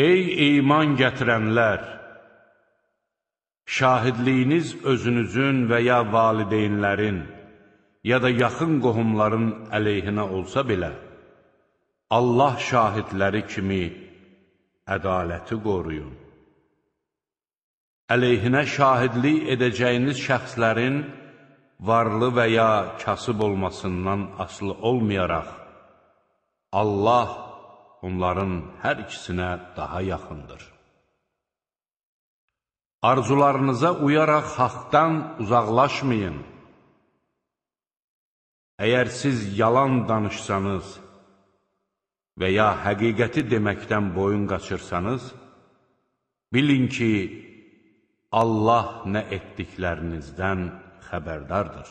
Ey iman gətirənlər! Şahidliyiniz özünüzün və ya valideynlərin, ya da yaxın qohumların əleyhinə olsa belə, Allah şahidləri kimi ədaləti qoruyun. Əleyhinə şahidlik edəcəyiniz şəxslərin varlı və ya kasıb olmasından asılı olmayaraq, Allah onların hər ikisinə daha yaxındır. Arzularınıza uyaraq haqdan uzaqlaşmayın. Əgər siz yalan danışsanız və ya həqiqəti deməkdən boyun qaçırsanız, bilin ki, Allah nə etdiklərinizdən xəbərdardır.